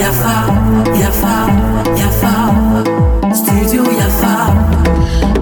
Yafa, yafa, yafa, studio Yafa.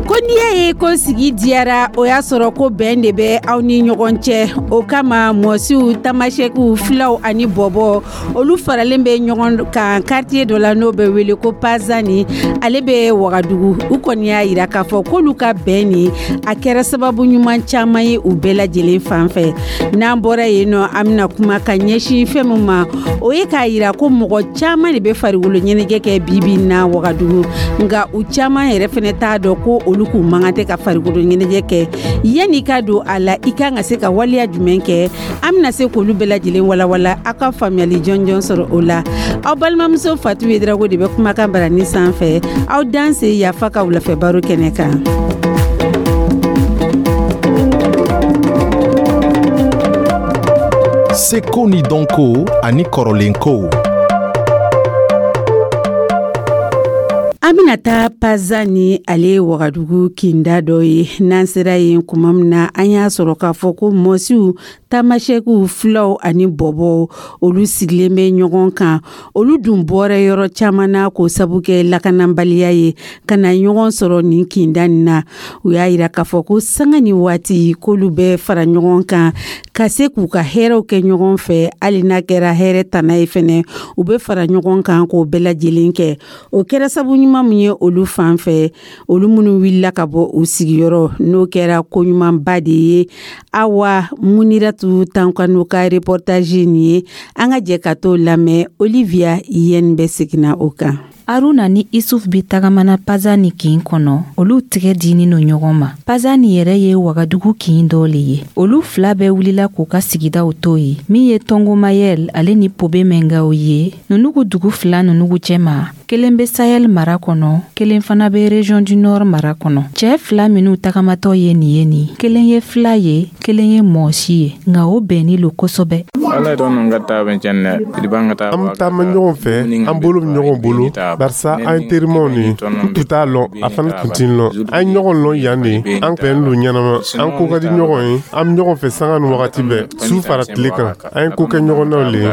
Ko n'i y'a ye ko sigi diyara, o y'a sɔrɔ ko bɛn de bɛ aw ni ɲɔgɔn cɛ. O kama, Mɔsiw, Tamasɛkiw, Filaw ani Bɔbɔ, olu faralen bɛ ɲɔgɔn kan quartier dɔ la, n'o bɛ wele ko Pazani, ale bɛ Wagadugu. U kɔni y'a yira k'a fɔ k'olu ka bɛn nin, a kɛra sababu ɲuman caman ye u bɛɛ lajɛlen fan fɛ. N'an bɔra yen nɔ, an bɛna kuma ka ɲɛsin fɛn min ma, o ye k'a yira ko mɔgɔ caman de bɛ farikolo ɲɛnajɛ kɛ bibi na Wagadugu, nka u caman yɛrɛ fɛnɛ t'a dɔn ko olu k'u man kan tɛ ka farikolo ɲɛnajɛ kɛ. Yanni i ka don a la, i kan ka se ka waleya jumɛn kɛ? An bɛna se k'olu bɛɛ lajɛlen walawala, aw ka faamuyali jɔnjɔn sɔrɔ o la. Aw balimamuso Fatu Yedrago de bɛ kumakan barani sanfɛ. Aw danse Yafa ka wulafɛ baro kɛnɛ kan. Seko ni dɔnko ani kɔrɔlenkow. An bɛna taa Pazani, ale ye Wagadugu kinda dɔ ye. N'an sera yen kuma min na, an y'a sɔrɔ k'a fɔ ko Mɔsiw, Tamasɛkiw, Filaw ani Bɔbɔw, olu sigilen bɛ ɲɔgɔn kan. Olu dun bɔra yɔrɔ caman na k'o sabu kɛ lakanabaliya ye, ka na ɲɔgɔn sɔrɔ nin kinda nin na. U y'a yira k'a fɔ ko sanga ni waati, k'olu bɛ fara ɲɔgɔn kan ka se k'u ka hɛrɛw kɛ ɲɔgɔn fɛ. Hali n'a kɛra hɛrɛ tana ye fɛnɛ, u bɛ fara ɲɔgɔn kan k'o bɛɛ lajɛlen kɛ. O kɛra sabu ɲuman min ye olu fan fɛ, olu minnu wulila ka bɔ u sigiyɔrɔ, n'o kɛra koɲumanba de ye. Awa Muniratu Tankano ka reportage nin ye, an ka jɛ ka t'o lamɛn. Olivia Yen bɛ seginna o kan. Aruna ni Isuf be tagamana Pazani kin kɔnɔ. Olu tigɛ dinin no ɲɔgɔn ma. Pazani yɛrɛ ye Wagadugu kin dɔ le ye. Olu fila bɛɛ wulila k'u ka sigidaw to ye, min ye Tɔngomayɛl ale ni Pobe Mɛngaw ye. Nunugu dugu fila nunugu cɛma, kelen be Sahel mara kɔnɔ, kelen fana be Région du Nord mara kɔnɔ. Cɛɛ fila minw tagamatɔ ye nin ye nin, kelen ye fila ye, kelen ye mɔsi ye, nka o bɛnni lo kosɛbɛ. An bɛ taama ɲɔgɔn fɛ, an bolo bɛ ɲɔgɔn bolo, barisa an ye terimaw de ye. N tun t'a lɔn, a fana tun tɛ n lɔn. An ye ɲɔgɔn lɔn yan de, an bɛnnen don ɲɛnama, an ko ka di ɲɔgɔn ye, an bɛ ɲɔgɔn fɛ sanga ni wagati bɛɛ, su fara tile kan. An ye ko kɛ ɲɔgɔn naw le ye.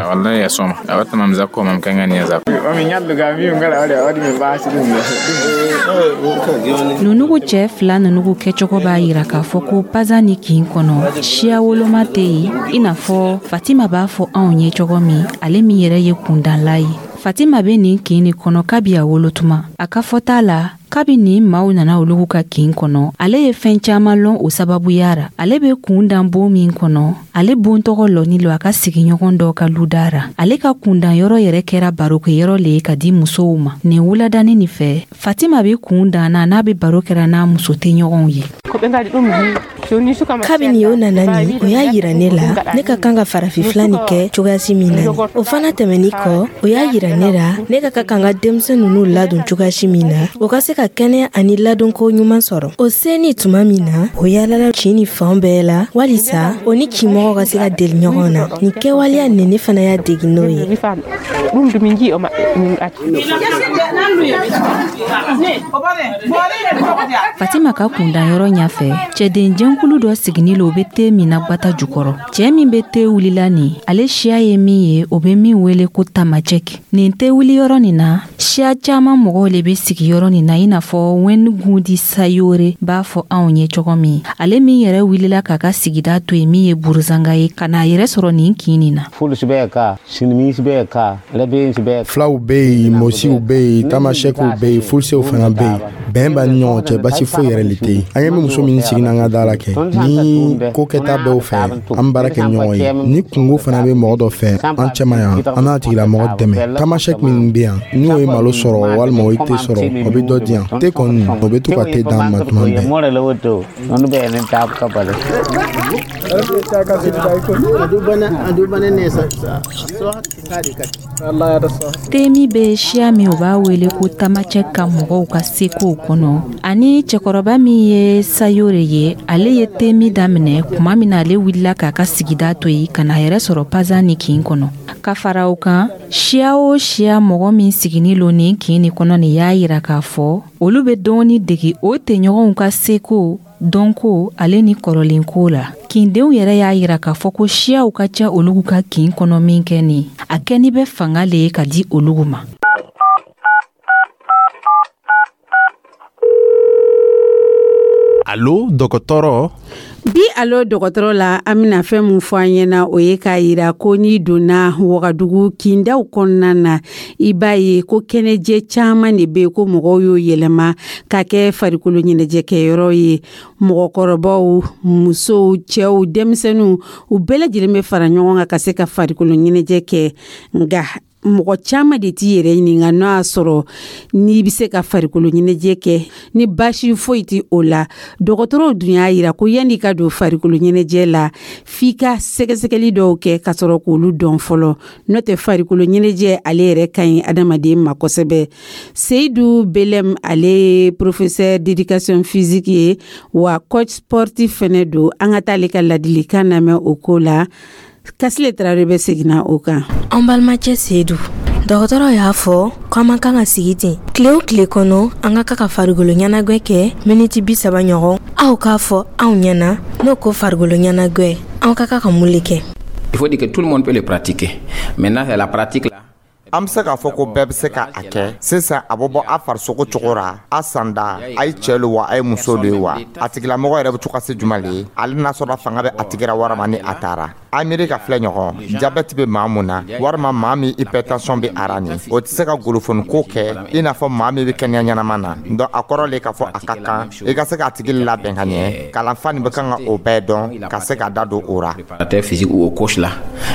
Nunugu cɛɛ fila nunugu kɛcogo b'a yira k'a fɔ ko Pazani kin kɔnɔ, siya woloma tɛ yen, i n'a fɔ Fatima b'a fɔ anw ye cogo min, ale min yɛrɛ ye kundanla ye. Fatima bɛ nin kin nin kɔnɔ kabi a wolotuma. A ka fɔta la, kabi nin maaw nana olugu ka kin kɔnɔ, ale ye fɛn caman lɔn o sababuya ra. Ale bɛ kun dan bon min kɔnɔ, ale bon tɔgɔ lɔni lo a ka sigiɲɔgɔn dɔ ka luda ra. Ale ka kundan yɔrɔ yɛrɛ kɛra barokɛyɔrɔ le ye ka di musow ma. Nin wuladani nin fɛ, Fatima bɛ kun dan na, n'a bɛ baro kɛra n'a muso tɛɲɔgɔnw ye. Kabini o nana nin, o y'a yira ne la ne ka kan ka farafin nin kɛ cogoyasi min na. O fana tɛmɛni kɔ, o y'a yira ne la ne ka kan ka denmisɛn ninnu ladon cogoyasi min na, o ka se ka kɛnɛya ani ladonko ɲuman sɔrɔ. O seni tuma min na, o yaalala kin ni fan bɛɛ la walisa o ni kinmɔgɔw ka se ka deli ɲɔgɔn na. Nin kɛwaleya nin, ne fana y'a degi n'o ye. Fatima ka kundanyɔrɔ ɲɛfɛ, cɛden jɛnkulu dɔ sigini lo, o bɛ te min na gwata jukɔrɔ. Cɛɛ min bɛ te wulila nin, ale siya ye min ye, o bɛ min wele ko Tamajɛki. Nin te wuliyɔrɔ nin na, siya caaman mɔgɔw le bɛ sigi yɔrɔ nin na, i n'a fɔ Wɛngundi Sayore b'a fɔ anw ye cogo min, ale min yɛrɛ wulila k'a ka sigida to yen, min ye Buruzanga ye, ka n'a yɛrɛ sɔrɔ nin kin nin na. Filaw bɛ yen, Mɔsiw bɛ yen, Tamasɛkiw bɛ yen, Fulsew fana bɛ yen. Bɛn b'an ni ɲɔgɔn cɛ, basi foyi yɛrɛ le tɛ yen. An ɲɛ bɛ muso min sigi n'an ka da la kɛ, ni ko kɛta bɛɛ fɛ, an baara kɛ ɲɔgɔn ye. Ni kungo fana bɛ mɔgɔ dɔ fɛ an cɛma yan, an n'a tigilamɔgɔ dɛmɛ. Tamasɛki min bɛ yan, n'o ye malo sɔrɔ walima o ye te sɔrɔ, o bɛ dɔ di yan. Te kɔni, o bɛ to ka te d'an ma tuma bɛɛ. Te min bɛ siya min, o b'a wele ko Tamacɛ ka mɔgɔw ka sekow kɔnɔ, ani cɛkɔrɔba min ye Sayore ye, ale ye te min daminɛ tuma min na ale wulila k'a ka sigida to yen ka n'a yɛrɛ sɔrɔ Pazani kin kɔnɔ. Ka fara o kan, siya o siya mɔgɔ min sigini lo nin kin nin kɔnɔ nin y'a yira k'a fɔ olu bɛ dɔɔni degi o tɛɲɔgɔnw ka seko, dɔnko ale ni kɔrɔlenko la. Kindenw yɛrɛ y'a yira k'a fɔ ko siyaw ka ca olugu ka kin kɔnɔ min kɛ nin, a kɛni bɛ fanga le ye ka di olugu ma. Alo dɔgɔtɔrɔ. Bi alo dɔgɔtɔrɔ la, an bɛna fɛn min fɔ an ɲɛna, o ye k'a yira ko n'i donna Wagadugu kindaw kɔnɔna na, i b'a ye ko kɛnɛjɛ caman de bɛ yen ko mɔgɔw y'o yɛlɛma ka kɛ farikolo ɲɛnajɛkɛyɔrɔ ye. Mɔgɔkɔrɔbaw, musow, cɛw, denmisɛnninw, u bɛɛ lajɛlen bɛ fara ɲɔgɔn kan ka se ka farikolo ɲɛnajɛ kɛ. Nka mɔgɔ caman de t'i yɛrɛ ɲininka n'o y'a sɔrɔ n'i bɛ se ka farikolo ɲɛnajɛ kɛ ni baasi foyi tɛ o la. Dɔgɔtɔrɔw dun y'a yira ko yanni ka don farikolo ɲɛnajɛ la, f'i ka sɛgɛsɛgɛli dɔw kɛ ka sɔrɔ k'olu dɔn fɔlɔ, n'o tɛ farikolo ɲɛnajɛ ale yɛrɛ ka ɲi adamaden ma kosɛbɛ. Seyidu Belɛm, ale ye professeur d'éducation physique ye wa coach sportif fɛnɛ don. An ka taa ale ka ladilikan lamɛn o ko la. Kasile Tarawele bɛ seginna o kan. An balimacɛ Seyidu, dɔgɔtɔrɔ y'a fɔ ko an man kan ka sigi ten. Tile o tile kɔnɔ, an ka kan ka farikolo ɲɛnajɛ kɛ miniti 30 ɲɔgɔn. Aw k'a fɔ anw ɲɛna, n'o ko farikolo ɲɛnajɛ, an ka kan ka mun le kɛ? Il faut dire que tout le monde peut le pratiquer. Maintenant, c'est la pratique là. An bɛ se k'a fɔ ko bɛɛ bɛ se ka a kɛ. Sisan, a bɛ bɔ a farisogo cogo ra, a sanda, a ye cɛ lo wa, a ye muso lo ye wa, a tigilamɔgɔ yɛrɛ bɛ to ka se juma le ye, ale n'a sɔrɔ fanga bɛ a tigira warama ni a taara. A miiri ka filɛ ɲɔgɔn, jabɛti bɛ maa mun na, walima maa min hypertension bɛ a ra nin, o tɛ se ka golofoni ko kɛ i n'a fɔ maa min bɛ kɛnɛya ɲɛnama na. Donc a kɔrɔ le k'a fɔ a ka kan i ka se k'a tigi labɛn ka ɲɛ. Kalanfa nin bɛ kan ka o bɛɛ dɔn ka se ka da don o ra. Physique ou au coach là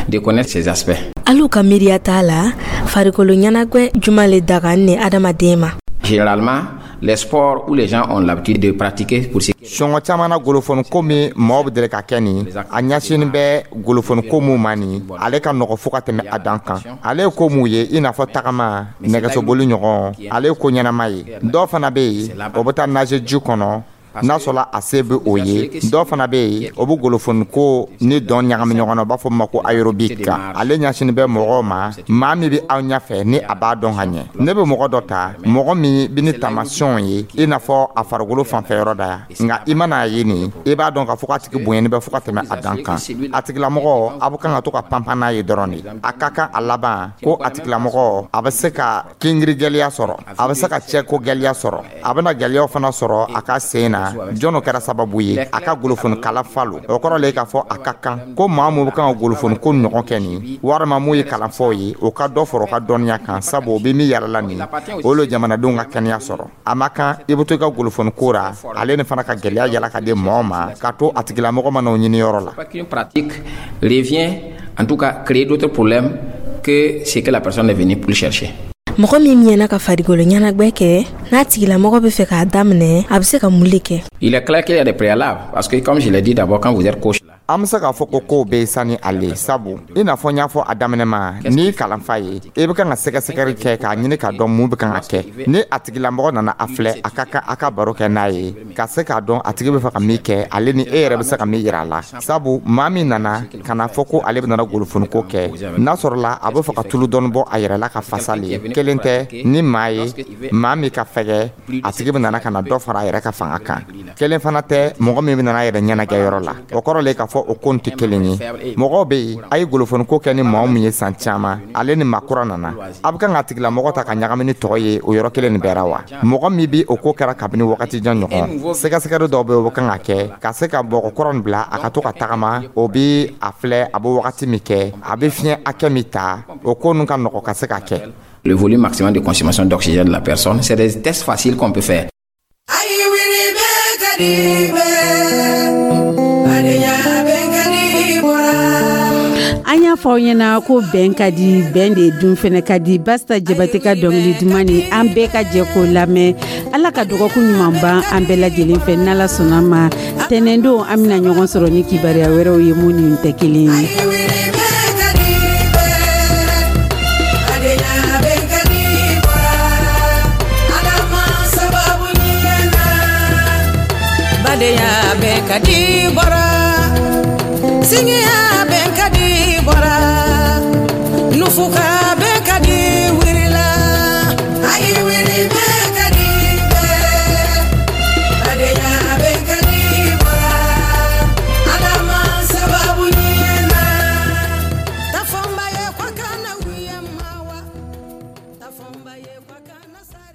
de connaître ces aspects. Alu ka miiriya t'a la, farikolo ɲɛnajɛ juma le daga ni adamaden ma? Généralement, les sports où les gens ont l'habitude de pratiquer pour ce Sɔngɔ caman na, golofoni ko min mɔgɔw bɛ deli ka kɛ nin, a ɲɛsinin bɛ golofoni ko mun ma nin, ale ka nɔgɔ fo ka tɛmɛ a dan kan. Ale ye ko mun ye, i n'a fɔ tagama, nɛgɛsoboli ɲɔgɔn, ale ye ko ɲɛnama ye. Dɔw fana bɛ yen, o bɛ taa nager ji kɔnɔ n'a sɔrɔla a se bɛ o ye. Dɔw fana bɛ yen, o bɛ golofoni ko ni dɔn ɲagami ɲɔgɔn na, u b'a fɔ ma ko aérobic. Ale ɲɛsinin bɛ mɔgɔw ma, maa min bɛ aw ɲɛfɛ ni a b'a dɔn ka ɲɛ. Ne bɛ mɔgɔ dɔ ta, mɔgɔ min bɛ ni taamasiyɛnw ye, i n'a fɔ a farikolo fanfɛ yɔrɔ da yan, nka i mana ye nin, i b'a dɔn k'a fɔ k'a tigi bonyani bɛ fo ka tɛmɛ a dan kan. A tigilamɔgɔ, a bɛ kan ka to ka panpan n'a ye dɔrɔn de. A ka kan a laban ko a tigilamɔgɔ, a bɛ se ka kinkiri gɛlɛya sɔrɔ, a bɛ se ka cɛko gɛlɛya sɔrɔ, a bɛna gɛlɛyaw fana sɔrɔ a ka sen na. Jɔn o kɛra sababu ye a ka golofoni kala falo. O kɔrɔ le k'a fɔ a ka kan ko maa mun bɛ kan ka golofoni ko ɲɔgɔn kɛ nin, walima mun ye kalanfaw ye, o ka dɔ fara o ka dɔnniya kan, sabu o bɛ min yɛrɛ la nin, o le jamanadenw ka kɛnɛya sɔrɔ. A ma kan i bɛ to i ka golofoni ko ra, ale ni fana ka gɛlɛya yala ka di mɔgɔ ma, ka to a tigilamɔgɔ ma n'o ɲini yɔrɔ la. Qu'une pratique revient en tout cas créer d'autres problèmes que ce que la personne est venue pour chercher. Mɔgɔ min miɲɛna ka farikolo ɲɛnajɛ kɛ, n'a tigilamɔgɔ bɛ fɛ k'a daminɛ, a bɛ se ka mun le kɛ? Il est clair qu'il y a des préalables parce que, comme je l'ai dit d'abord, quand vous êtes coach là, An bɛ se k'a fɔ ko kow bɛ sani ale, sabu i n'a fɔ n y'a fɔ a daminɛ ma, n'i ye kalanfa ye, i bɛ kan ka sɛgɛsɛgɛli kɛ k'a ɲini k'a dɔn mun bɛ kan ka kɛ. Ni a tigilamɔgɔ nana, a filɛ, a ka kan a ka baro kɛ n'a ye ka se k'a dɔn a tigi bɛ fɛ ka min kɛ, ale ni e yɛrɛ bɛ se ka min yira a la. Sabu maa min nana ka na fɔ ko ale bɛ nana golofoniko kɛ, n'a sɔrɔla a bɛ fɛ ka tulu dɔɔni bɔ a yɛrɛ la ka fasa le, kelen tɛ ni maa ye, maa min ka fɛgɛ, a tigi bɛ nana ka na dɔ fara a yɛrɛ ka fanga kan. Kelen fana tɛ mɔgɔ min bɛ nana a yɛrɛ ɲɛnajɛ yɔrɔ la. O kɔrɔ le k'a fɔ o ko tɛ kelen ye. Mɔgɔw bɛ yen, a ye golofoniko kɛ ni maa min ye san caman, ale ni maa kura nana, a bɛ kan ka tigilamɔgɔ ta ka ɲagami ni tɔgɔ ye o yɔrɔ kelen nin bɛɛ ra wa. Mɔgɔ min bɛ o ko kɛra kabini wagati jan ɲɔgɔn, sɛgɛsɛgɛli dɔw bɛ yen, o bɛ kan ka kɛ ka se ka bɔgɔ kɔrɔ nin bila a ka to ka tagama, o bɛ a filɛ, a bɛ wagati min kɛ, a bɛ fiɲɛ hakɛ min ta, o ko ninnu ka nɔgɔ ka se ka kɛ. Le volume maximum de consommation d'oxygène de la personne, c'est des tests faciles qu'on peut faire. Ayi wuli bɛ ka di bɛɛ, badenya bɛ ka di bɔra. An y'a fɔ aw ɲɛna ko bɛn ka di, bɛn de dun fɛnɛ ka di. Basta Jabate ka dɔnkili duman ni an bɛɛ ka jɛ k'o lamɛn. Ala ka dɔgɔkun ɲuman ban an bɛɛ lajɛlen fɛ. N'Ala sɔnna ma, tɛnɛndon an bɛna ɲɔgɔn sɔrɔ ni kibaruya wɛrɛw ye mun ni tɛ kelen ye. Badenya bɛ ka di bɔra, Ala ma sababu ɲuman na. Badenya bɛ ka di bɔra, singiya bɛ ka di bɔra, nufuka bɛ ka di wurila. Ayi wuli bɛ ka di bɛɛ, badenya bɛ ka di bɔra, Ala ma A kana sa.